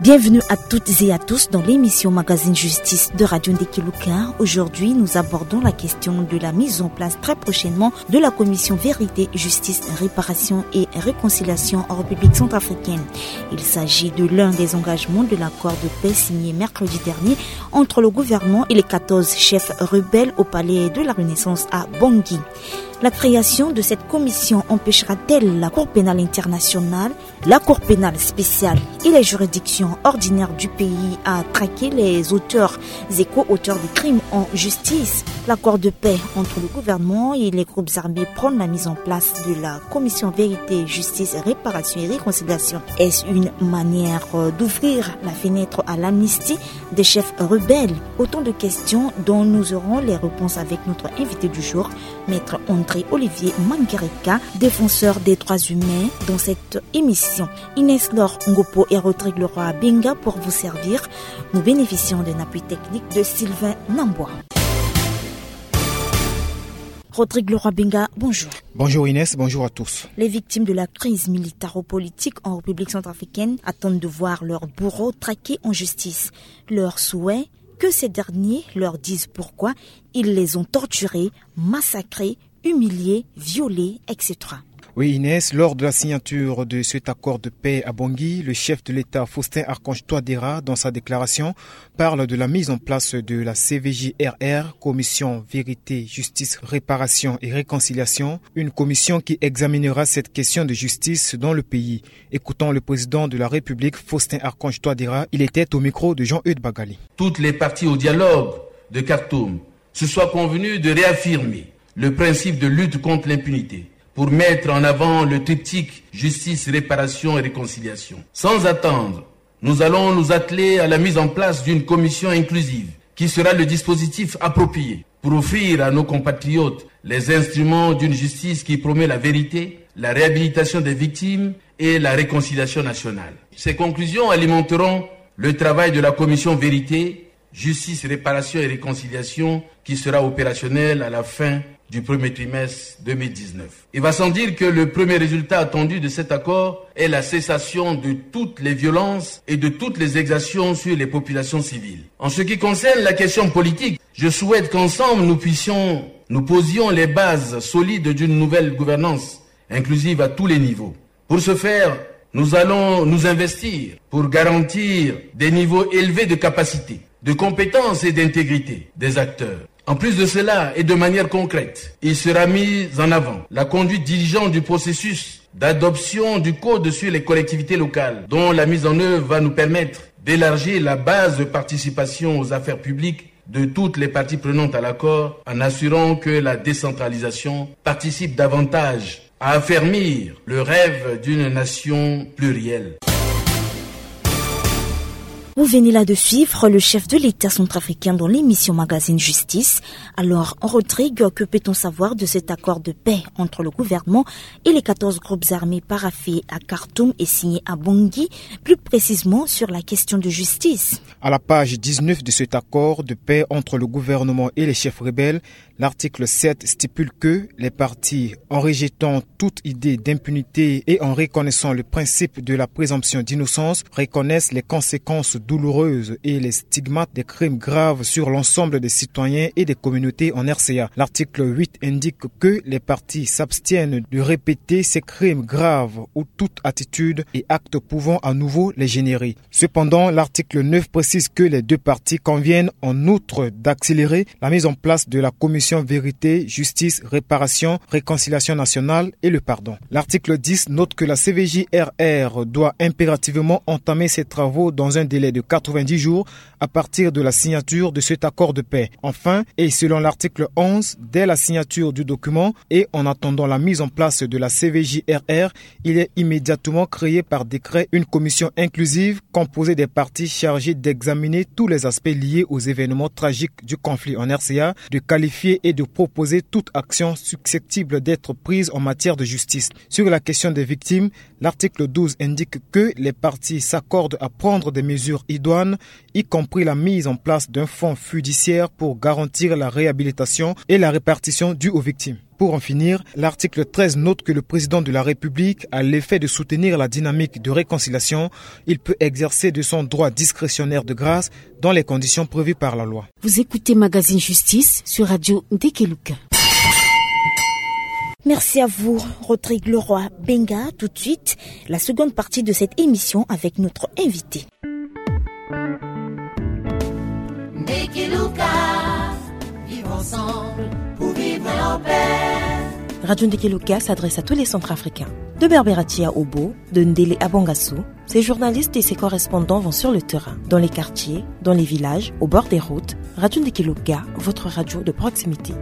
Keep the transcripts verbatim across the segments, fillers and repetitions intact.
Bienvenue à toutes et à tous dans l'émission Magazine Justice de Radio Ndekeluka. Aujourd'hui, nous abordons la question de la mise en place très prochainement de la commission Vérité, Justice, Réparation et Réconciliation en République centrafricaine. Il s'agit de l'un des engagements de l'accord de paix signé mercredi dernier entre le gouvernement et les quatorze chefs rebelles au palais de la Renaissance à Bangui. La création de cette commission empêchera-t-elle la Cour pénale internationale, la Cour pénale spéciale et les juridictions ordinaires du pays à traquer les auteurs et co-auteurs de crimes en justice ? L'accord de paix entre le gouvernement et les groupes armés prône la mise en place de la commission Vérité, Justice, Réparation et Réconciliation. Est-ce une manière, euh, d'ouvrir la fenêtre à l'amnistie des chefs rebelles ? Autant de questions dont nous aurons les réponses avec notre invité du jour, Maître André Olivier Mangereka, défenseur des droits humains, dans cette émission. Inès Laure Ngopo et Rodrigue Leroy Benga pour vous servir. Nous bénéficions d'un appui technique de Sylvain Nambois. Rodrigue Leroy Benga, bonjour. Bonjour Inès, bonjour à tous. Les victimes de la crise militaro-politique en République centrafricaine attendent de voir leurs bourreaux traqués en justice. Leur souhait, que ces derniers leur disent pourquoi ils les ont torturés, massacrés, humiliés, violés, et cetera. Oui, Inès, lors de la signature de cet accord de paix à Bangui, le chef de l'État Faustin Archange Touadéra, dans sa déclaration, parle de la mise en place de la C V J R R, Commission Vérité, Justice, Réparation et Réconciliation, une commission qui examinera cette question de justice dans le pays. Écoutons le président de la République, Faustin Archange Touadéra, il était au micro de Jean-Eudes Bagali. Toutes les parties au dialogue de Khartoum se soient convenues de réaffirmer le principe de lutte contre l'impunité pour mettre en avant le triptyque justice, réparation et réconciliation. Sans attendre, nous allons nous atteler à la mise en place d'une commission inclusive qui sera le dispositif approprié pour offrir à nos compatriotes les instruments d'une justice qui promet la vérité, la réhabilitation des victimes et la réconciliation nationale. Ces conclusions alimenteront le travail de la commission Vérité, Justice, Réparation et Réconciliation qui sera opérationnelle à la fin du premier trimestre deux mille dix-neuf. Il va sans dire que le premier résultat attendu de cet accord est la cessation de toutes les violences et de toutes les exactions sur les populations civiles. En ce qui concerne la question politique, je souhaite qu'ensemble nous puissions, nous posions les bases solides d'une nouvelle gouvernance inclusive à tous les niveaux. Pour ce faire, nous allons nous investir pour garantir des niveaux élevés de capacité, de compétence et d'intégrité des acteurs. En plus de cela, et de manière concrète, il sera mis en avant la conduite diligente du processus d'adoption du code sur les collectivités locales, dont la mise en œuvre va nous permettre d'élargir la base de participation aux affaires publiques de toutes les parties prenantes à l'accord, en assurant que la décentralisation participe davantage à affermir le rêve d'une nation plurielle. Vous venez là de suivre le chef de l'État centrafricain dans l'émission Magazine Justice. Alors, Rodrigue, que peut-on savoir de cet accord de paix entre le gouvernement et les quatorze groupes armés paraphés à Khartoum et signés à Bangui, plus précisément sur la question de justice ? À la page dix-neuf de cet accord de paix entre le gouvernement et les chefs rebelles, l'article sept stipule que les parties, en rejetant toute idée d'impunité et en reconnaissant le principe de la présomption d'innocence, reconnaissent les conséquences douloureuses et les stigmates des crimes graves sur l'ensemble des citoyens et des communautés en R C A. L'article huit indique que les parties s'abstiennent de répéter ces crimes graves ou toute attitude et acte pouvant à nouveau les générer. Cependant, l'article neuf précise que les deux parties conviennent en outre d'accélérer la mise en place de la commission Vérité, Justice, Réparation, Réconciliation nationale et le pardon. L'article dix note que la C V J R R doit impérativement entamer ses travaux dans un délai de quatre-vingt-dix jours à partir de la signature de cet accord de paix. Enfin, et selon l'article onze, dès la signature du document et en attendant la mise en place de la C V J R R, il est immédiatement créé par décret une commission inclusive composée des parties chargées d'examiner tous les aspects liés aux événements tragiques du conflit en R C A, de qualifier et de proposer toute action susceptible d'être prise en matière de justice. Sur la question des victimes, l'article douze indique que les parties s'accordent à prendre des mesures idoines, y compris la mise en place d'un fonds fiduciaire pour garantir la réhabilitation et la répartition due aux victimes. Pour en finir, l'article treize note que le président de la République, à l'effet de soutenir la dynamique de réconciliation, il peut exercer de son droit discrétionnaire de grâce dans les conditions prévues par la loi. Vous écoutez Magazine Justice sur Radio Ndekeluka. Merci à vous, Rodrigue Leroy Benga. Tout de suite, la seconde partie de cette émission avec notre invité. Ndekeluka, vivre ensemble pour vivre en paix. Radio Ndekeluka s'adresse à tous les Centrafricains. De Berberatia Obo, de Ndele Abangassou, ses journalistes et ses correspondants vont sur le terrain, dans les quartiers, dans les villages, au bord des routes. Radio Ndekeluka, votre radio de proximité.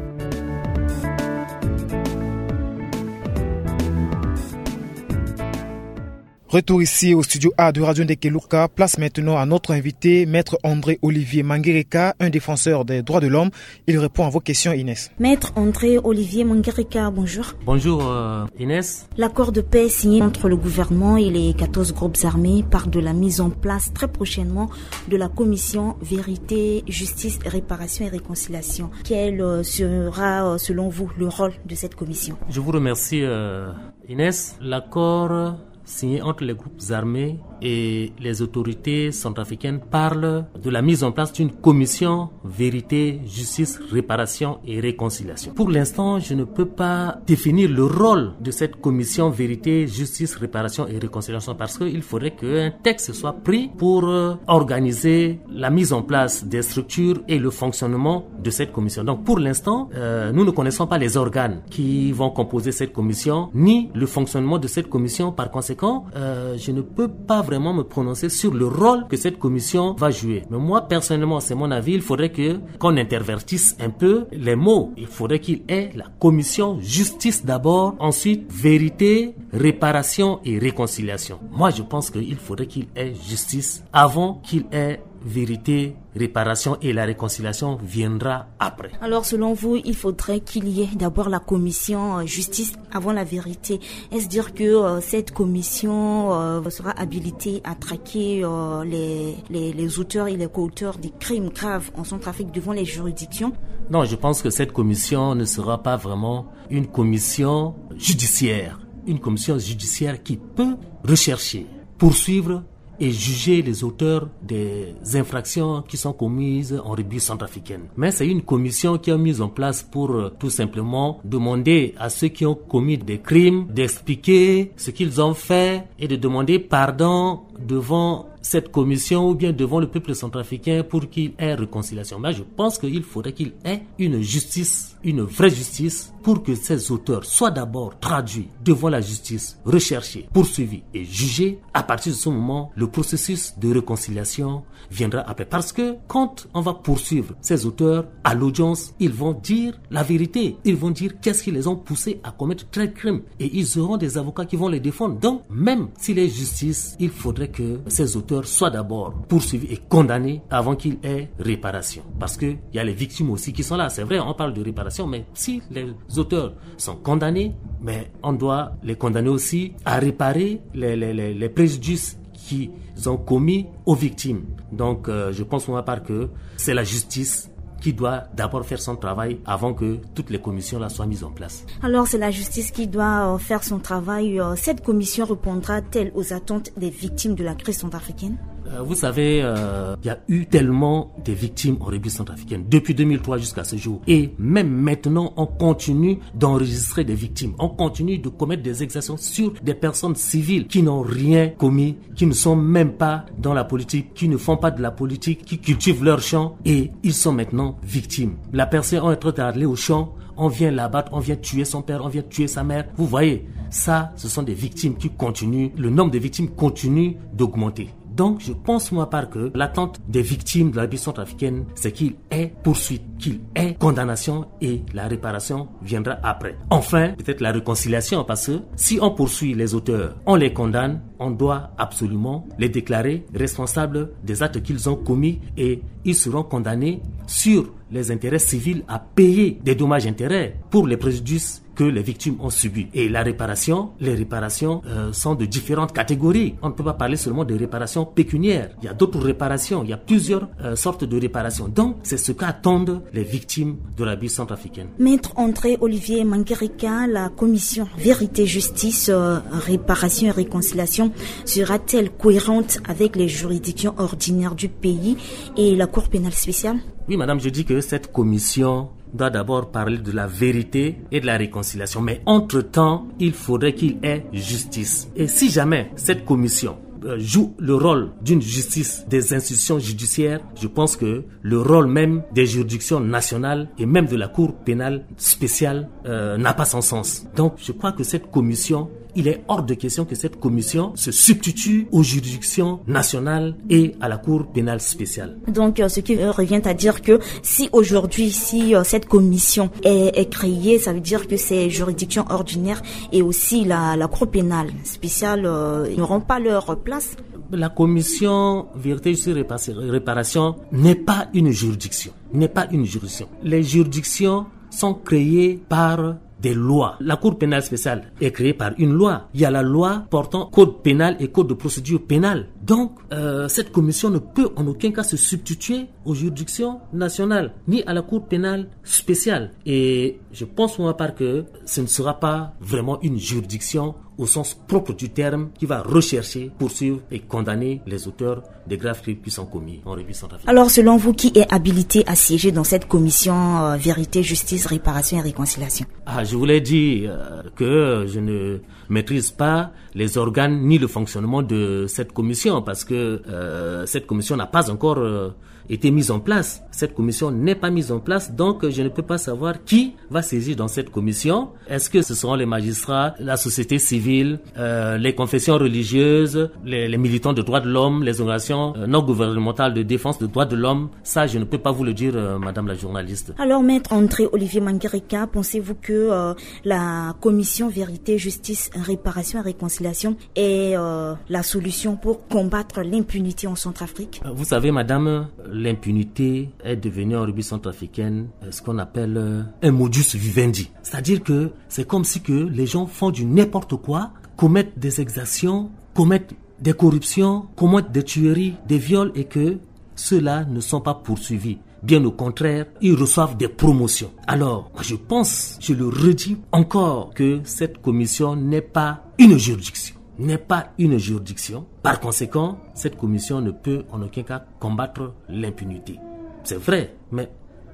Retour ici au studio A de Radio Ndekeluka. Place maintenant à notre invité, Maître André Olivier Mangereka, un défenseur des droits de l'homme. Il répond à vos questions, Inès. Maître André Olivier Mangereka, bonjour. Bonjour, euh, Inès. L'accord de paix signé entre le gouvernement et les quatorze groupes armés parle de la mise en place très prochainement de la commission vérité, justice, réparation et réconciliation. Quel, euh, sera, euh, selon vous, le rôle de cette commission ? Je vous remercie, euh, Inès. L'accord signé entre les groupes armés et les autorités centrafricaines parle de la mise en place d'une commission vérité, justice, réparation et réconciliation. Pour l'instant, je ne peux pas définir le rôle de cette commission vérité, justice, réparation et réconciliation parce qu'il faudrait qu'un texte soit pris pour, euh, organiser la mise en place des structures et le fonctionnement de cette commission. Donc, pour l'instant, euh, nous ne connaissons pas les organes qui vont composer cette commission, ni le fonctionnement de cette commission. Par conséquent, euh, je ne peux pas vraiment me prononcer sur le rôle que cette commission va jouer. Mais moi, personnellement, c'est mon avis, il faudrait que, qu'on intervertisse un peu les mots. Il faudrait qu'il y ait la commission justice d'abord, ensuite vérité, réparation et réconciliation. Moi, je pense qu'il faudrait qu'il y ait justice avant qu'il y ait vérité, réparation et la réconciliation viendra après. Alors, selon vous, il faudrait qu'il y ait d'abord la commission, euh, justice avant la vérité. Est-ce dire que, euh, cette commission, euh, sera habilitée à traquer, euh, les, les, les auteurs et les co-auteurs des crimes graves en Centrafrique devant les juridictions ? Non, je pense que cette commission ne sera pas vraiment une commission judiciaire. Une commission judiciaire qui peut rechercher, poursuivre et juger les auteurs des infractions qui sont commises en République centrafricaine. Mais c'est une commission qui est mise en place pour, euh, tout simplement demander à ceux qui ont commis des crimes d'expliquer ce qu'ils ont fait et de demander pardon devant cette commission ou bien devant le peuple centrafricain pour qu'il y ait réconciliation. Mais je pense qu'il faudrait qu'il y ait une justice, une vraie justice, pour que ces auteurs soient d'abord traduits devant la justice, recherchés, poursuivis et jugés. À partir de ce moment, le processus de réconciliation viendra après. Parce que quand on va poursuivre ces auteurs à l'audience, ils vont dire la vérité. Ils vont dire qu'est-ce qui les ont poussés à commettre tel crime. Et ils auront des avocats qui vont les défendre. Donc, même s'il est justice, il faudrait que ces auteurs soient d'abord poursuivis et condamnés avant qu'il y ait réparation. Parce qu'il y a les victimes aussi qui sont là. C'est vrai, on parle de réparation, mais si les auteurs sont condamnés, mais on doit les condamner aussi à réparer les, les, les, les préjudices qu'ils ont commis aux victimes. Donc, euh, je pense pour ma part que c'est la justice qui doit d'abord faire son travail avant que toutes les commissions là soient mises en place. Alors, c'est la justice qui doit, euh, faire son travail. Euh, cette commission répondra-t-elle aux attentes des victimes de la crise centrafricaine ? Euh, vous savez, euh, il y a eu tellement de victimes en République centrafricaine depuis deux mille trois jusqu'à ce jour. Et même maintenant, on continue d'enregistrer des victimes. On continue de commettre des exactions sur des personnes civiles qui n'ont rien commis, qui ne sont même pas dans la politique, qui ne font pas de la politique, qui cultivent leur champ et ils sont maintenant victimes. La personne est en train d'aller au champ, on vient l'abattre, on vient tuer son père, on vient tuer sa mère. Vous voyez, ça, ce sont des victimes qui continuent, le nombre de victimes continue d'augmenter. Donc, je pense, moi, part que l'attente des victimes de la République centrafricaine, c'est qu'il y ait poursuite, qu'il y ait condamnation et la réparation viendra après. Enfin, peut-être la réconciliation, parce que si on poursuit les auteurs, on les condamne, on doit absolument les déclarer responsables des actes qu'ils ont commis et ils seront condamnés sur les intérêts civils à payer des dommages-intérêts pour les préjudices que les victimes ont subi. Et la réparation, les réparations euh, sont de différentes catégories. On ne peut pas parler seulement de réparations pécuniaires. Il y a d'autres réparations, il y a plusieurs euh, sortes de réparations. Donc, c'est ce qu'attendent les victimes de l'abus centrafricain. Maître André Olivier Mangerika, la commission Vérité, Justice, euh, Réparation et Réconciliation sera-t-elle cohérente avec les juridictions ordinaires du pays et la Cour pénale spéciale ? Oui, madame, je dis que cette commission doit d'abord parler de la vérité et de la réconciliation. Mais entre-temps, il faudrait qu'il y ait justice. Et si jamais cette commission euh, joue le rôle d'une justice des institutions judiciaires, je pense que le rôle même des juridictions nationales et même de la Cour pénale spéciale euh, n'a pas son sens. Donc, je crois que cette commission, il est hors de question que cette commission se substitue aux juridictions nationales et à la Cour pénale spéciale. Donc, euh, ce qui euh, revient à dire que si aujourd'hui, si euh, cette commission est, est créée, ça veut dire que ces juridictions ordinaires et aussi la, la Cour pénale spéciale euh, n'auront pas leur place. La commission vérité, justice, répa-, réparation n'est pas une juridiction. N'est pas une juridiction. Les juridictions sont créées par des lois. La Cour pénale spéciale est créée par une loi. Il y a la loi portant code pénal et code de procédure pénale. Donc, euh, cette commission ne peut en aucun cas se substituer aux juridictions nationales, ni à la Cour pénale spéciale. Et je pense pour ma part que ce ne sera pas vraiment une juridiction au sens propre du terme qui va rechercher, poursuivre et condamner les auteurs des graves crimes qui sont commis en République centrafricaine. Alors, selon vous, qui est habilité à siéger dans cette commission euh, vérité, justice, réparation et réconciliation ? Ah, je voulais dire euh, que je ne maîtrise pas les organes ni le fonctionnement de cette commission parce que euh, cette commission n'a pas encore euh, été mise en place. Cette commission n'est pas mise en place, donc je ne peux pas savoir qui va siéger dans cette commission. Est-ce que ce seront les magistrats, la société civile, euh, les confessions religieuses, les, les militants de droits de l'homme, les organisations euh, non gouvernementales de défense de droits de l'homme ? Ça, je ne peux pas vous le dire, euh, madame la journaliste. Alors, maître André Olivier Mangerika, pensez-vous que euh, la commission vérité, justice, réparation et réconciliation est euh, la solution pour combattre l'impunité en Centrafrique ? Vous savez, madame, l'impunité est devenue en République centrafricaine euh, ce qu'on appelle euh, un modus vivendi. C'est-à-dire que c'est comme si que les gens font du n'importe quoi, commettent des exactions, commettent des corruptions, commettent des tueries, des viols et que ceux-là ne sont pas poursuivis. Bien au contraire, ils reçoivent des promotions. Alors, moi je pense, je le redis encore, que cette commission n'est pas une juridiction. N'est pas une juridiction. Par conséquent, cette commission ne peut en aucun cas combattre l'impunité. C'est vrai, mais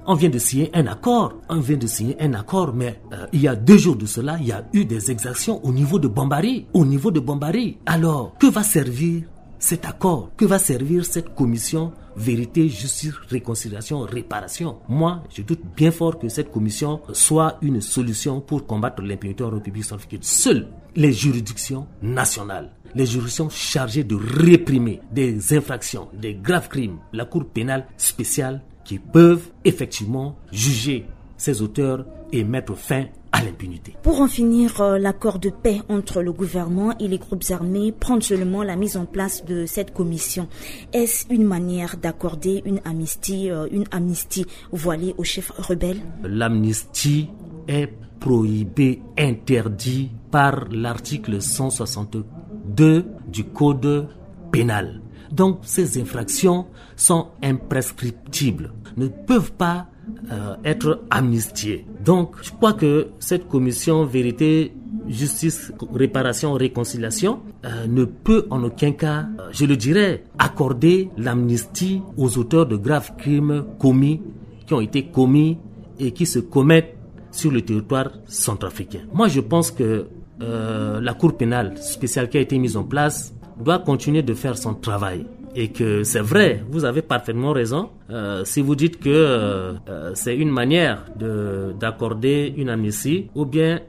on vient de signer un accord. On vient de signer un accord, mais euh, il y a deux jours de cela, il y a eu des exactions au niveau de Bambari. Au niveau de Bambari. Alors, que va servir cet accord ? Que va servir cette commission vérité, justice, réconciliation, réparation ? Moi, je doute bien fort que cette commission soit une solution pour combattre l'impunité en République centrafricaine. Seules les juridictions nationales, les juridictions chargées de réprimer des infractions, des graves crimes, la Cour pénale spéciale, qui peuvent effectivement juger ces auteurs et mettre fin à l'impunité. Pour en finir, euh, l'accord de paix entre le gouvernement et les groupes armés prend seulement la mise en place de cette commission. Est-ce une manière d'accorder une amnistie, euh, une amnistie voilée aux chefs rebelles ? L'amnistie est prohibée, interdite par l'article cent soixante-deux du code pénal. Donc, ces infractions sont imprescriptibles, ne peuvent pas euh, être amnistiées. Donc, je crois que cette commission vérité, justice, réparation, réconciliation euh, ne peut en aucun cas, euh, je le dirais, accorder l'amnistie aux auteurs de graves crimes commis, qui ont été commis et qui se commettent sur le territoire centrafricain. Moi, je pense que euh, la Cour pénale spéciale qui a été mise en place doit continuer de faire son travail. Et que c'est vrai, vous avez parfaitement raison, euh, si vous dites que euh, euh, c'est une manière de, d'accorder une amnistie, ou bien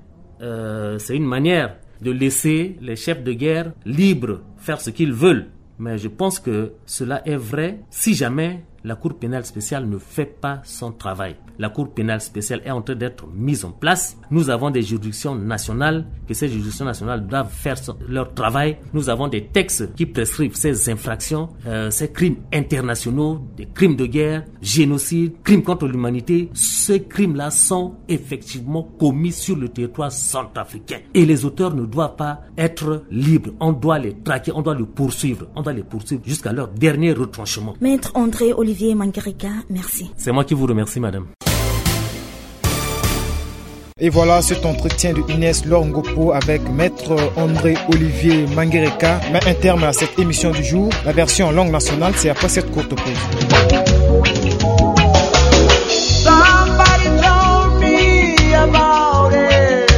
euh, c'est une manière de laisser les chefs de guerre libres faire ce qu'ils veulent. Mais je pense que cela est vrai si jamais La Cour pénale spéciale ne fait pas son travail. La Cour pénale spéciale est en train d'être mise en place. Nous avons des juridictions nationales, que ces juridictions nationales doivent faire son- leur travail. Nous avons des textes qui prescrivent ces infractions, euh, ces crimes internationaux, des crimes de guerre, génocide, crimes contre l'humanité. Ces crimes-là sont effectivement commis sur le territoire centrafricain. Et les auteurs ne doivent pas être libres. On doit les traquer, on doit les poursuivre, on doit les poursuivre jusqu'à leur dernier retranchement. Maître André Olivier Mangereka, merci. C'est moi qui vous remercie, madame. Et voilà, cet entretien de Inès Lor Ngopo avec Maître André Olivier Mangereka met un terme à cette émission du jour. La version en langue nationale, c'est après cette courte pause. Somebody told me about it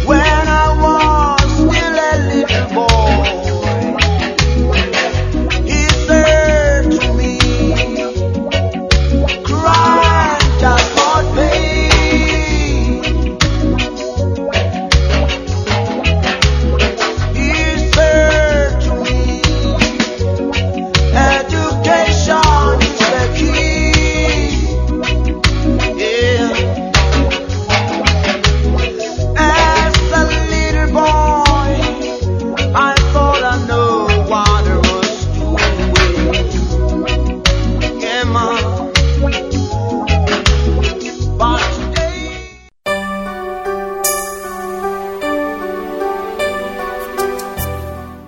when I was still a little boy. He said to me, "Crime does not pay." He said to me, "Education is the key." Yeah. As a little boy, I thought I know what I was doing. Yeah, man. But today,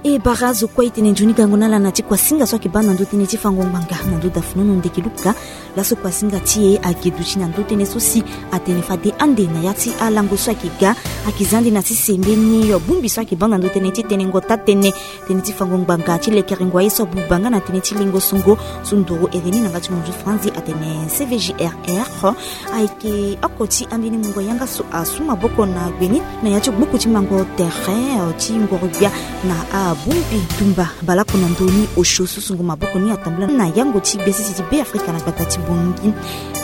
e bara azo kue e tene nzoni gango na ala na ti kuasinga so ayeke baa na ndö tënë ti fango ngbanga na ndö da funu no ndeke luka. Laso kuasinga ti e ayeke duti na ndö tënë so si atene fade ande na ya ti alango so ayeke ga, ayeke za ande na sese mbeni bongbi so ayeke baa na ndö tënë ti tenengo taa-tënë, tënë ti fango ngbanga ti lekerengo aye so abuba nga na tënë ti lengo songo so ndoro ere ni na nga ti munzu franzi atene C V G R R. Ayeke oko ti ambeni mungo yanga so asu maboko na gbe ni na ya ti gbuku ti mango tere ti ngoro-gbia na abongbi tumba baleoko na ndö ni osio so sungo maboko ni atambula na yango ti gbia sese ti Beafrika na gbata ti Bangui.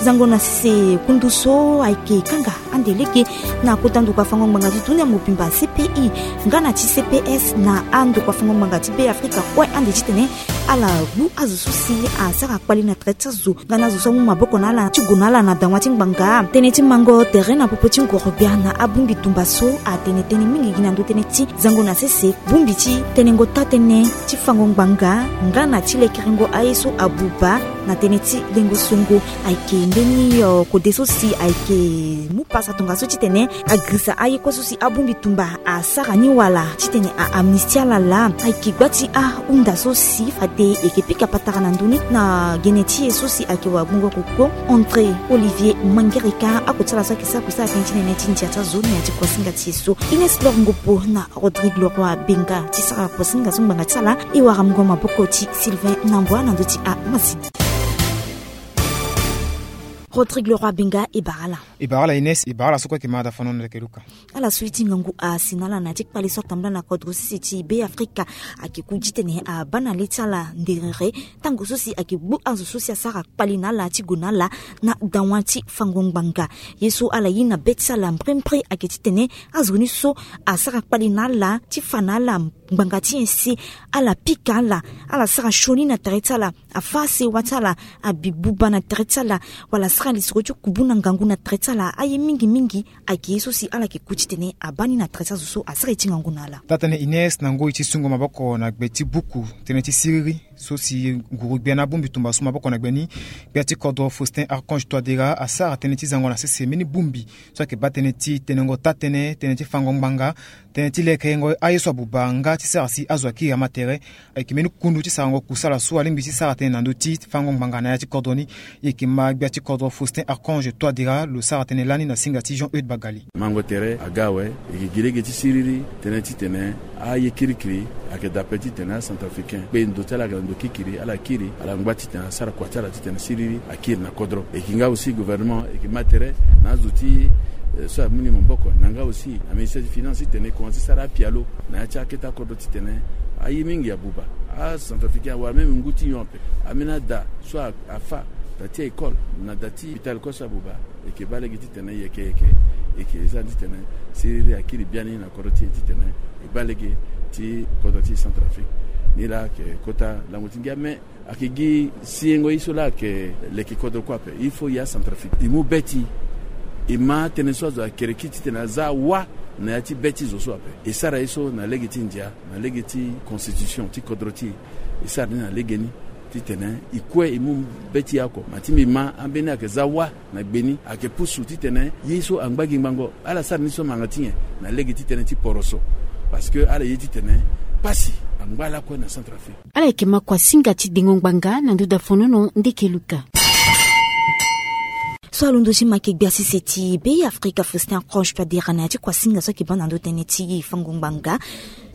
Zango na sese kundu so ayeke kanga ande lege na kota ndokua fango ngbanga ti dunia mobimba C P I nga na ti C P S na andokua fango ngbanga ti Beafrika kue ande titene ala gbu azo so si asara kpali na tere ti azo nga na azo so amu maboko na ala ti gue na ala na dawa ti ngbanga. Tënë ti mango tere na popo ti ngoro-gbia na abongbi tumba so atene tënë mingi gi na ndö tënë ti zango na sese bongbi ti tenengo taa-tënë ti fango ngbanga nga na ti lekerengo aye so abuba na tënë ti lengo songo. Ayeke mbeni, eh, kode so si ayeke mu pasa tongaso titene agirisa aye kue so si abongbi tumba asara ni wala titene a amnistie ala laa. Ayeke gba ti ahunda so si fade e yeke pika patara na ndö ni na gene ti e so si ayeke wagbongo koko André Olivier Mangereka. Oko ti ala so ayeke sara kusala tënë ti nene ti ndia ti azo na ya ti kuasinga ti e so. Inès Lor Ngopo na Rodrigue Leroy Benga ti sara kuasinga so ngbanga ti ala. E wara mungo maboko ti Sylvain Nambwa na ndö ti amasini. Rodrigue Leroy Benga, e bara ala. E bara ala Inès, e bara ala so kue ayeke ma da fano na leke luka. Ala so ye ti ngangu asi na ala na ya ti kpale so atambula na kodro sese ti Beafrika ayeke ku titene abaa na le ti ala nderere tango so si ayeke gbu azo so si asara kpali na ala ti gue na ala na dawa ti fango ngbanga. Ye so ala ye na be ti ala mbrimbri ayeke titene azo ni so asara kpali na ala ti fa na ala ngbanga ti nyen si ala pika ala, ala sara sioni na tere ti ala, afâ sewa ti ala, abi buba na tere ti ala, wala asara lisoro ti kubu na ngangu na tere ti ala. Aye mingi mingi ayeke ye so si ala yeke ku titene abaa ni na tere ti azo so asara ye ti ngangu na ala. Taa-tënë Inès, na ngoi ti sungo maboko na gbe ti buku tënë ti siriri so si nguru-gbia na abongbi tumba su maboko na gbe ni, gbia ti kodro Faustin Archange Touadéra asara tënë ti zango na sese mbeni bongbi so ayeke baa tënë ti tenengo taa-tënë, tënë ti fango ngbanga, tënë ti lekerengo aye so abuba nga ti sara si azo akiri ama tere. Ayeke mbeni kundu ti sarango kusala so alingbi ti sara tënë na ndö ti fango ngbanga na ya ti kodro ni. E yeke ma gbia ti kodro Faustin Archange Touadéra lo sara tënë lani na singa ti Jean Eudes Bagali. Mango tere aga awe, e yeke gi lege ti siriri tënë titene aye kirikiri ayeke daa ape titene acentrafricain kpe ndo ti ala ayeke na ndo kirikiri, ala kiri, ala ngba titene asara kua ti ala titene siriri akiri na kodro. E yeke nga aussi gouvernement e yeke ma tere na azo ti, eh, so amu ni maboko na nga aussi aministère ti finance titene e koma ti sara apialo na ya ti akete akodro titene aye mingi abuba. Acentrafricain awara même ngu ti nyon ape. Ambeni ada so a, afâ, da ti école na da ti hôpital kue so abuba. E yeke baa lege titene yeke yeke, e yeke za titene siriri akiri biani na kodro ti e titene e baa lege ti kodro ti Centrafrique Ni laa ayeke kota lango ti ngia me ayeke gi siengo ye so laa ayeke leke kodro kue ape. Il faut ya Centrafrique e mu be ti e ma tënë so azo ayeke reki titene aza wa na ya ti be ti zo so ape. E sara ye so na lege ti ndia, na lege ti constitution ti kodro ti e. E sara ni na lege ni titene e kue e mu be ti e oko. Ma ti mbi ma ambeni ayeke za wa na gbe ni ayeke pusu titene ye so angba gi ngbangbo. Ala sara ni so manga ti nyen? Na lege ti tënë ti poroso. Parce que ala ye titene pasi angba lakue na Centrafrique. Ala yeke ma kuasinga ti dengo ngbanga na nduda fonono ndeke luka. So alondo ti ma yeke gbia sese ti Beafrika Faustin Archange Touadéra na ya ti kuasinga so ayeke baa na ndo tënë ti fango ngbanga.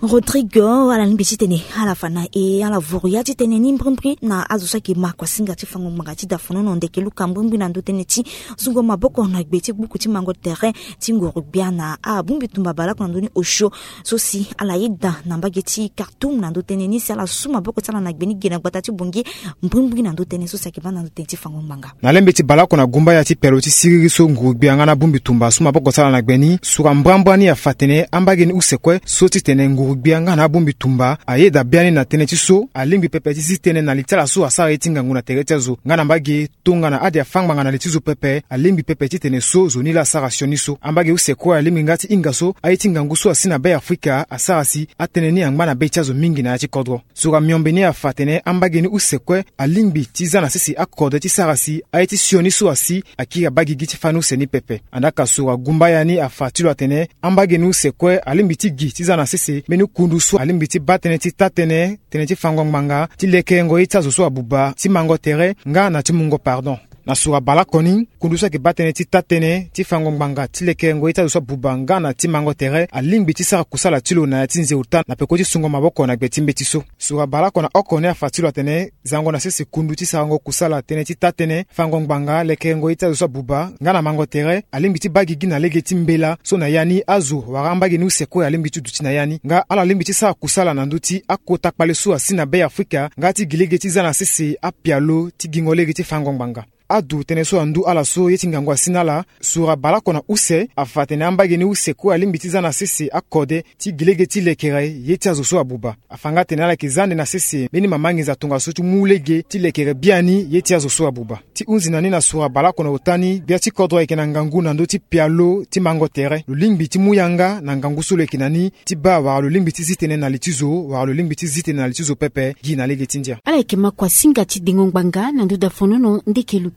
Rodrigue, ala lingbi titene ala fa na e ala vuru ya ti tënë ni mbrimbri na azo so ayeke ma kuasinga ti fango ngbanga ti da fonono ndeke luka mbrimbri na ndo tënë ti sungo maboko na gbe ti gbuku ti mango tere ti nguru gbia na abongbi tumba baleoko na ndö ni osio so si ala yeda na mbage ti Khartoum na ndo tënë ni si ala su maboko ti ala na gbe ni ge na gbata ti Bangui mbrimbri na ndo tënë so si ayeke baa na ndo tënë ti fango ngbanga. Na lembe ti baleoko na gumbaya ti pialo ti siriri so nguru gbia nga na bongbi tumba asu maboko ti ala na gbe ni, sura mbrambra ni afa atene ambage ni use kue so titene nguru gbia nga na abongbi tumba ayeda biani na tënë ti so alingbi pepe ti zi tënë na li ti ala so asara ye ti ngangu na tere ti azo nga na mbage tongana ade afâ ngbanga na li ti zo pepe. Alingbi pepe titene so zo ni laa asara sioni so. Ambage use kue alingbi nga ti hinga so aye ti ngangu so asi na Beafrika asara si atënë ni angba na be ti azo mingi na ya ti kodro. Sura miombe ni afa atene ambage ni use kue alingbi ti za na sese akode ti sara si aye ti sioni so asi akiri abaa gigi ti fani use ni pepe. Andaa ka sura gumbaya ni afa ti lo atene ambage ni use kue alingbi ti gi ti za na sese mbeni kundu so alingbi ti baa tënë ti taa-tënë, tënë ti fango ngbanga, ti lekerengo ye ti azo so abuba, ti mango tere nga na ti mungo pardon. Na sura baleoko ni, kundu so ayeke baa tënë ti taa-tënë, ti fango ngbanga, ti lekerengo ye ti azo so abuba nga na ti mango tere alingbi ti sara kusala ti lo na ya ti nzeu taa na peko ti sungo maboko na gbe ti mbeti so. Sura baleoko na oko ni afa ti lo atene zango na sese kundu ti sarango kusala tënë ti taa-tënë, fango ngbanga, lekerengo ye ti azo so abuba nga na mango tere alingbi ti baa gigi na lege ti mbela so na ya ni azo wala ambage ni use kue alingbi ti duti na ya ni. Nga ala lingbi ti sara kusala na ndö ti akota kpale so asi na Beafrika nga ti gi lege ti za na sese apialo ti gingo lege ti fango ngbanga. Adu tënë so andu ala so ye ti ngangu asi na ala. Sura baleoko na use afa atene ambage ni use kue alingbi ti za na sese akode ti gi lege ti lekere ye ti azo so abuba. Afa nga atene ala yeke za ande na sese mbeni mama nginza tongaso ti mu lege ti lekere biani ye ti azo so abuba. Ti hunzi na ni na sura baleoko na ota ni, gbia ti kodro ayeke na ngangu na ndö ti pialo ti mango tere. Lo lingbi ti mu yanga na ngangu so lo yeke na ni ti baa wala lo lingbi ti zi tënë na li ti zo wala lo lingbi ti zi tënë na li ti zo pepe gi na lege ti ndia. Ala yeke ma kuasinga ti dengo ngbanga na nduda fonono ndeke luka.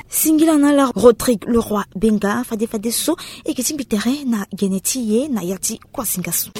Singila na ala Rodrigue Leroy Benga fade fade so e yeke ti mbi tere na gene ti e na ya ti kuasinga so.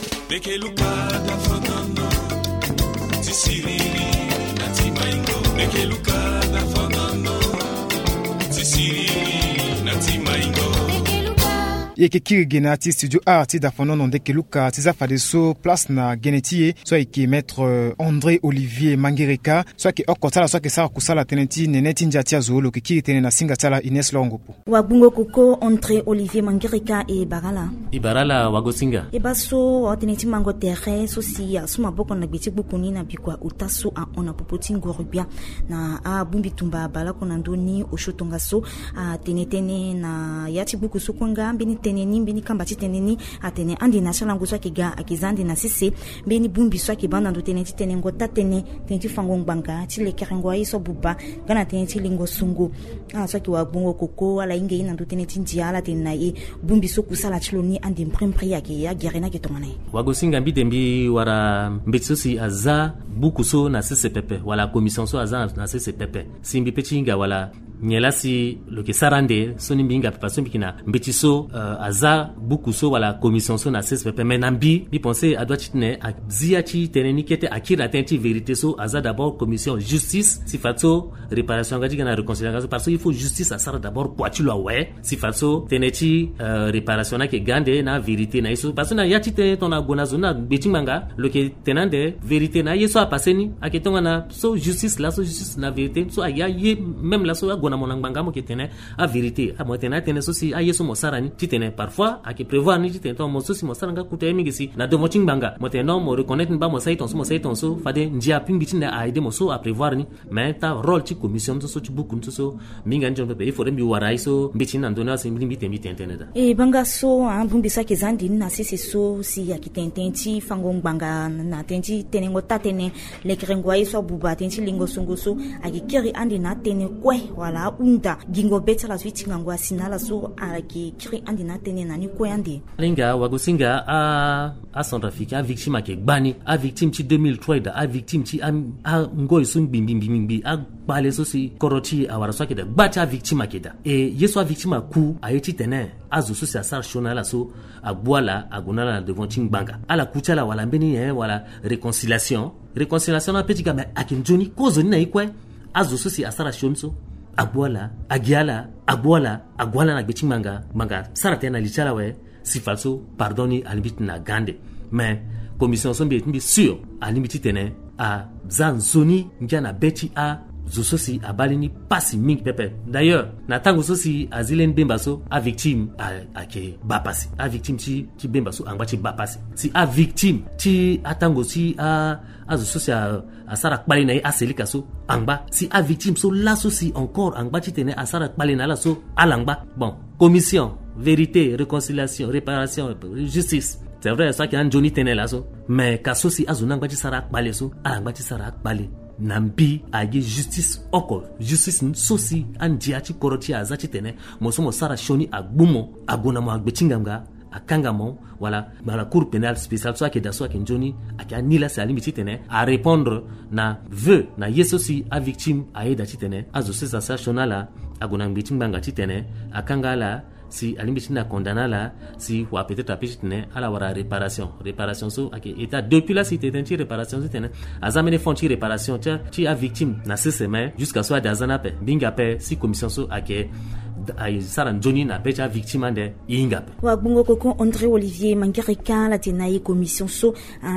E yeke kiri ge na ya ti studio art ti dafonono ndeke luka ti za fadeso place na gene ti e so ayeke maître, euh, André Olivier Mangereka so ayeke oko ti ala so ayeke sara kusala tënë ti nene ti ndia ti azo. Lo yeke kiri tënë na singa ti ala Ines Lorongopo. Wagbungo koko André Olivier Mangereka, e bara ala. E bara ala wagosinga. E baa so watënë ti mango tere so si asu maboko na gbe ti gbuku ni na bikua ota so ahon na popo ti nguru gbia na abongbi tumba baleoko na ndö ni osio tongaso. Atene tënë na ya ti gbuku so kue nga mbeni tënë ni, mbeni kamba ti tënë ni atene ande na ti alango so ayeke ga ayeke za ande na sese mbeni bongbi so ayeke baa na ndo tënë ti tenengo taa-tënë, tënë ti fango ngbanga, ti lekerengo aye so abuba nga na tënë ti lingo songo. Ala so ayeke wagbongo koko ala hinga ye na ndo tënë ti ndia, ala tene na e bongbi so kusala ti lo ni ande mbrimbri ayeke agere ni ayeke tongana nyen? Wagosinga, mbi de mbi wara mbeti so si aza buku so na sese pepe wala commission so aza na sese pepe. Si mbi pe ti hinga wala nyen laa si lo yeke sara ande so ni mbi hinga pepe so mbi yeke na mbeti so, euh, aza buku so wala commission so na sese pepe. Me na mbi, mbi pense adoit titene azi ya ti tënë ni kete akiri na tënë ti vérité so aza d'abord commission justice si fadeso réparation aga ti ga na réconciliation parce que il faut justice asara d'abord kua ti lo awe. Si fadeso tënë ti, euh, réparation ni ayeke ga ande na vérité na ye so parce que na ya ti tënë tongana ague na zo ni na gbe ti ngbanga lo yeke tene ande vérité na aye so apasse ni ayeke tongana so justice laso justice na vérité so aya ye même laso ague Na mo na ngbanga mo yeke tene avérité, mo tene atënë so si aye so mo sara ni titene parfois ayeke prévoir ni titene tongana mo so si mo sara nga kuta ye mingi si na devant ti ngbanga mo tene non, mo reconnaître ni baa mo sara ye tongaso, mo sara ye tongaso, fade ndia pingbi ti nda a aidé mo so aprévoir ni. Mais taa rôle ti commission ni so so ti buku ni so so mingi ani ti mo pepe il faudrait mbi wara ye so mbeti ni na ndoni ala si mbi lingbi tene mbi tene tënë daa. E banga so abongbi so ayeke za ande ni na sese so si ayeke tene tënë ti fango ngbanga na tënë ti tenengo taa tënë, lekerengo aye so abuba tënë ti lengo songo so, ayeke kiri ande na atënë kue wala ahunda gingo be ti ala so ti ngangu asi na ala so ayeke kiri ande na atënë na ni kue ande. Alinga wagosinga a acentrafricain avictime ayeke gbani. Avictime ti deux mille trois daa, avictime ti angoi so ngbi ngbi ngbi ngbi akpale so si kodro ti e awara so ayeke daa, gba ti avictime ayeke daa. E ye so avictime aku aye titene azo so si asara sioni na ala so agbu ala ague na ala na devant ti ngbanga, ala ku ti ala wala mbeni nyen wala réconciliation. Réconciliation ni ape ti ga me ayeke nzoni kozoni na ye kue. Azo so si asara sioni so agbu ala, agi ala, agbu ala, ague ala na gbe ti ngbanga, ngbanga sara tënë na li ti ala awe. Si fade so pardon ni alingbi ti tene aga ande. Mais commission so mbi mbi sûr alingbi titene aza nzoni ngia na be ti azo so si abaa lani pasi mingi pepe. D'ailleurs na tango so si azi lani bemba so avictime ayeke baa pasi. Avictime ti ti bemba so angba ti baa pasi. Si avictime ti atango ti a azo so si asara kpale na ye aselika so angba. Si avictime so laso si encore angba titene asara kpale na ala so ala ngba. Bon, commission, vérité, réconciliation, réparation, justice, c'est vrai so ayeke anzoni tënë laso. Mais ka so si azo ni angba ti sara akpale so ala ngba ti sara akpale na mbi agi justice oko. Justice so si andia ti kodro ti e aza titene mo so mo sara sioni agbu mo ague na mo na gbe ti ngbanga akanga mo wala wala cour pénale spéciale so ayeke daa so ayeke nzoni ayeke ani laa si alingbi titene arépondre na vœu na ye so si avictime aye daa titene azo so si asara sioni na ala ague na gbe ti ngbanga titene akanga ala si alingbi titene acondamné ala si wa peut-être ape titene ala wara réparation. Réparation so ayeke état depuis la si tene ti réparation titene aza mbeni fonds ti réparation ti avictime na sese me jusqu'à so ade aza ni ape. Mbi hinga ape si commission so ayeke asara nzoni na be ti avictime ande. Hinga ape. Wa gbongo koko André Olivier Mangirika ala tene na e commission so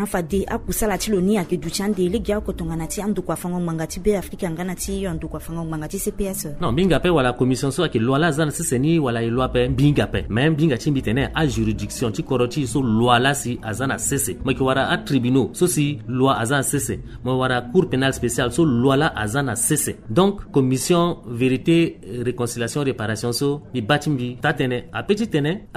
fade akusala ti lo ni ayeke duti ande lege oko tongana ti andokua fango ngbanga ti Be Afrika nga na ti andokua fango ngbanga ti C P S. Non, mbi hinga ape wala commission so ayeke loi laa aza na sese ni wala e loi ape mbi hinga ape. Mais mbi hinga ti mbi tene ajuridiction ti kodro ti e so loi laa si aza na sese mo yeke wara atribunaux so si loi aza na sese. Mo wara cour pénale spéciale so loi laa aza na sese. Donc commission vérité, réconciliation, réparation so mbi baa ti mbi taa tënë ape titene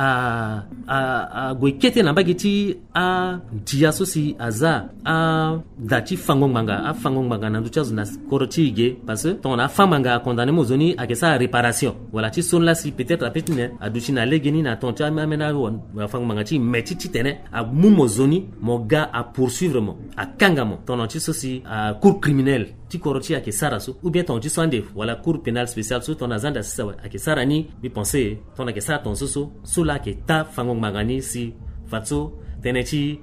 ague kete na mbage ti andia so si aza ada ti fango ngbanga afango ngbanga na ndö ti azo na kodro ti e ge. Parce que tongana afa ngbanga acondamné mo zo ni ayeke sara réparation wala ti so ni laa si peut-être ape ti nyen aduti na legeni na tongana ti ameni afango ngbanga ti e me ti titene amu mo zo ni mo ga apoursuivre mo akanga mo tongana ti so si acour criminel ti kodro ti e ayeke sara so ou bien tongana ti so ande wala cour pénale spéciale so tongana aza ande asisa awe ayeke sara ni. Mbi pensé tongana ayeke sara tongaso so so laa ayeke taa fango ngbanga ni si fade so tënë ti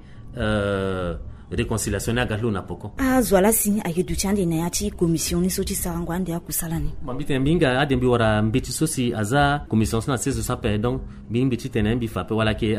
réconciliation ni aga ti lo na poko. Azo ala si ayeke duti ande na ya ti commission ni so ti sarango ande akusala ni. Bon mbi tene mbi hinga ade mbi wara mbeti so si aza commission so na sese so ape. Donc mbi mbi ti tene mbi fa ape wala ayeke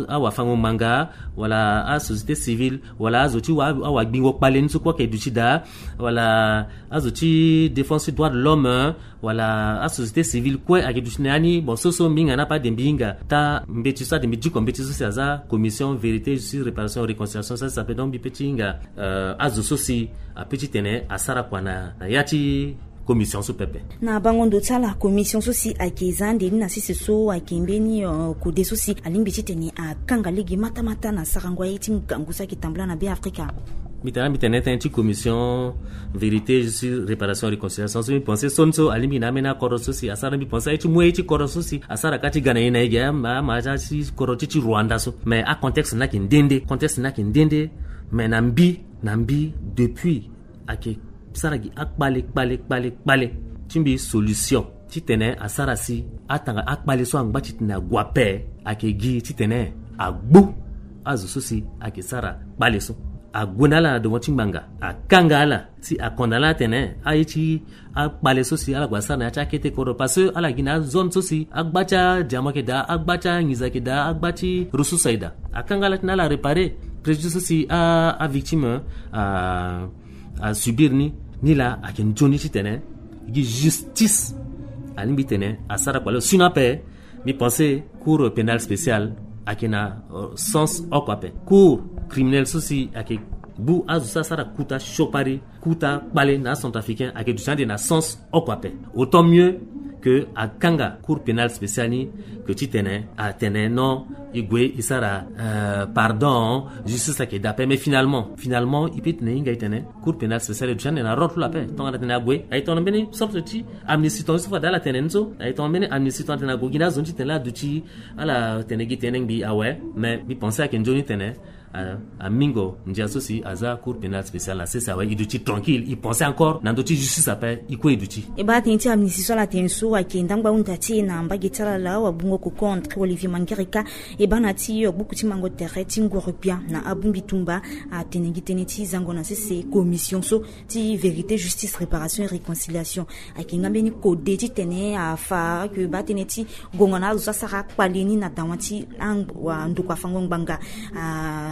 awafango ngbanga wala asociété civile wala azo ti awagbingo kpale ni so kue ayeke duti daa wala azo ti défense ti droit de l'homme wala asociété civile kue ayeke duti na ya ni. Bon so so mbi hinga ni ape ade mbi hinga taa mbeti so ade mbi diko mbeti so si aza commission vérité, justice, réparation, réconciliation so asi ape. Donc mbi pe ti hinga azo so si ape ti tene asara kua na ya ti commission so pepe. Na bango ndo ti ala commission so si ayeke za ande ni na sese so ayeke mbeni kode so si alingbi titene akanga lege matamata na sarango aye ti ngangu so ayeke tambula na Be Afrika. Mbi tene mbi tene tënë ti commission vérité, justice, réparation, réconciliation so mbi pensé so ni so alingbi na ambeni akodro so si asara mbi pensé aye ti mu aye ti kodro so si asara ka ti ga na ye na ye ge ama aza ti kodro ti ti Rwanda so. Mais acontexte ni ayeke nde nde contexte ni ayeke nde nde. Mais na mbi na mbi depuis ayeke sara gi akpale kpale kpale kpale ti mbi solution titene asara si atanga akpale so angba titene ague ape ayeke gi titene agbu azo so si ayeke sara kpale so ague na ala na devant ti ngbanga akanga ala si akondana ala atene aye ti akpale so si ala gue asara na ya ti akete kodro parce que ala gi na azone so si agba ti adiamo ayeke daa agba ti anginza ayeke daa agba ti ressource ayeke daa. Akanga ala titene ala réparer préjudice so si avictime asubir ni. Ni laa ayeke nzoni titene gi justice. Alingbi tene asara kpale sino ape. Mbi pense cour pénale spéciale ayeke na sens oko ape. Cour criminelle so si ayeke bu azo so asara kuta siokpari, kuta kpale na acentrafricain, ayeke duti ande na sens oko ape. Autant mieux que akanga cour pénale spéciale ni, que titene atene non, e gue e sara pardon, justice ayeke daa ape. Mais finalement finalement e pe tene e hinga e tene cour pénale spéciale e duti ande na rôle ti lo ape. Tongana tene ague aye tongana mbeni sorte ti amnistie tonga so fade ala tene ni so aye tongana mbeni amnistie tongana tene ague gi na azo ni titene laa aduti ala tene gi tene ngbi awe. Mais mbi pense ayeke nzoni tene amingo ndia so si aza cour pénale spéciale na sese awe e duti tranquille e pense encore na ndö ti justice ape e kue e duti. E baa tënë ti amnistie so ala tene so ayeke ndangba hunda ti e na mbage ti ala laa wagbungo koko André Olivier Mangereka. E baa na ti gbuku ti mango tere ti nguru-gbia na abongbi tumba atene gi tënë ti zango na sese commission so ti vérité, justice, réparation et réconciliation. Ayeke nga mbeni kode titene afa ayeke baa tënë ti gongo na azo so asara akpale ni na dawa ti ndokua fango ngbanga.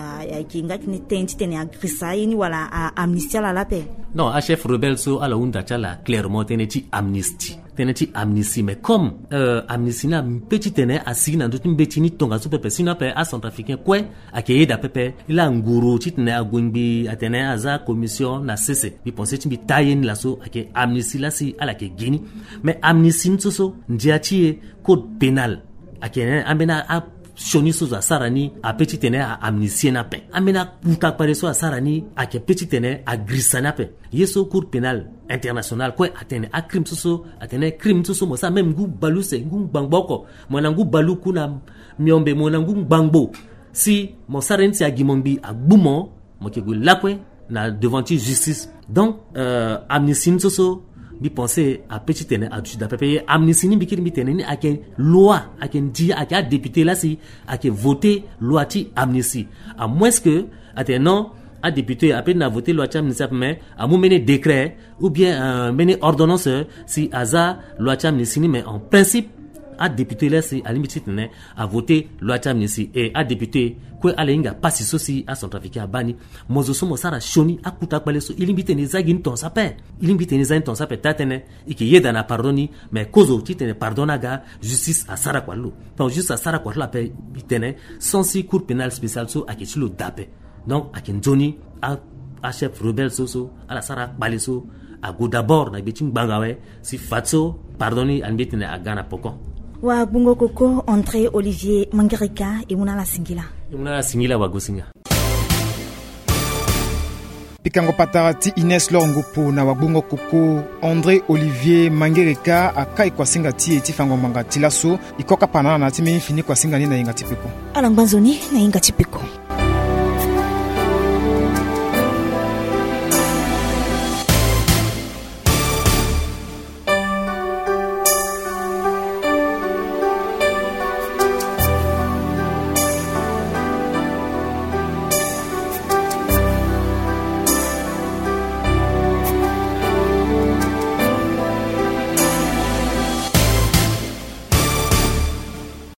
Ayeke nga tënë titene agrisa ye ni wala aamnistie ala laa ape. Non, achef rebelle so ala hunda ti ala clairement tënë ti amnistie. Tënë ti amnistie mais comme amnistie ni ape titene asigi na ndö ti mbeti ni tongaso pepe sino ape acentrafricain kue ayeke yeda pepe. Laa nguru titene ague ngbi atene aza commission na sese mbi pense ti mbi taa ye ni laso ayeke amnistie laa si ala yeke gi ni. Mais amnistie ni so so ndia ti e code pénal ayeke ambeni asioni so zo asara ni ape titene aamnistie ni ape. Ambeni akuta kpale so asara ni ayeke pe titene agrisa ni ape. Ye so cour pénale internationale kue atene acrime so so atene crime so so mo sara même ngu baleuse ngu ngbangbo oko, mo na ngu baluku na miombe mo na ngu ngbangbo, si mo sara ye ni si agi mo ngbi agbu mo, mo yeke gue lakue na devant ti justice. Donc amnistie ni so so mbi pense ape titene aduti daa pepe. Ye amnistie ni mbi kiri mbi tene ni ayeke loi, ayeke ndia ayeke adéputé laa si ayeke voté loi ti amnistie. À moins que atene non, adéputé ape ti na voté loi ti amnistie ape mais amu mbeni décret ou bien mbeni ordonnance si aza loi ti amnistie ni mais en principe adéputé laa si alingbi titene avoté loi ti amnistie. E adéputé kue ala hinga pasi so si acentrafricain abaa ni. Mo zo so mo sara sioni akuta kpale so e lingbi titene e za gi ni tongaso ape. E lingbi titene e za ni tongaso ape taa tënë e yeke yeda na pardon ni. Mais kozo titene pardon ni aga justice asara kua ti lo. Donc justice asara kua ti lo ape. Mbi tene sens ti cour pénale spéciale so ayeke ti lo daa ape. Donc ayeke nzoni achef rebelle so so ala sara akpale so ague d'abord na gbe ti ngbanga awe si fadeso pardon ni alingbi titene aga na poko. Wagbungo koko André Olivier Mangereka e mu na ala singila. E mu na ala singila wagosinga. Pikango patara ti Ines Lor Ngupu na wagbungo koko André Olivier Mangereka akai kuasinga ti e ti fango ngbanga ti laso. E kokapa na ala na ya ti mbeni fini kuasinga ni na yenga ti peko. Ala ngba nzoni na yenga ti peko.